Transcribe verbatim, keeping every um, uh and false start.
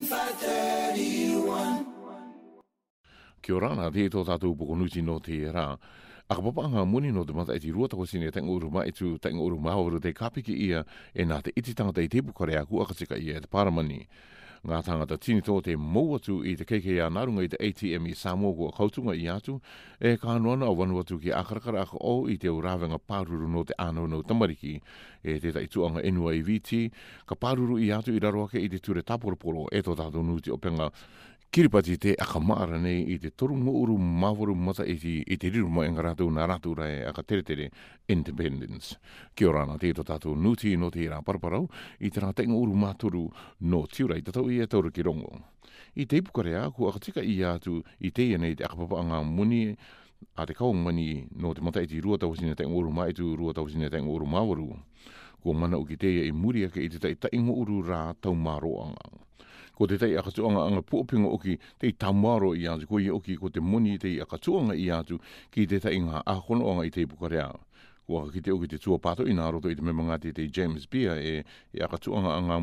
Five thirty-one. Kia ora nā te tō tātou upoko nuti no te rā. Aka papa ngā moni no te mata e te rua tako sine tenga uru ma e tu tenga uru mawaru te kapiki ia e nā te iti tangata i te pukare aku akatika ia e te paramani. Ngā tangata tini tō te mou atu i te K K A nārunga i te A T M i Samoa kua kautunga i atu e kānoana a wanu atu ki akarakara aka o i te urawenga pāruru no te ānau no tamariki e te tai tuanga N Y V T ka pāruru i atu i raro ake i te ture taporoporo e tō tātou nuti o penga Kiripati te akamaara nei i te toru ngōuru māwaru mata i te, i te riru mai ngā rātou nā rātou rai aka teretere Independence. Kia ora nā te tō tātou nuti no te rā paraparau i te rā te ngōuru mātoru no tiura i tatau i e taura ki rongo. I te ipukarea ku akatika i atu i te ia nei te akapapa ngā moni a te kaunga mani no te mata i te rua tau sine te ngōuru mai tu rua tau sine te ngōuru māwaru. Kua mana uki te ia i muri ake i te tai tai ngōuru rā tau māroanga. Ko te tai akatuanga anga puopinga oki te i tamaro i atu, ko ia oki ko te moni te i akatuanga i atu ki te tai ngā ahonoanga i te ipukarea. Ko aka ki te oki te tua pato i nā roto i te mema ngā te te James Beer e, e akatuanga anga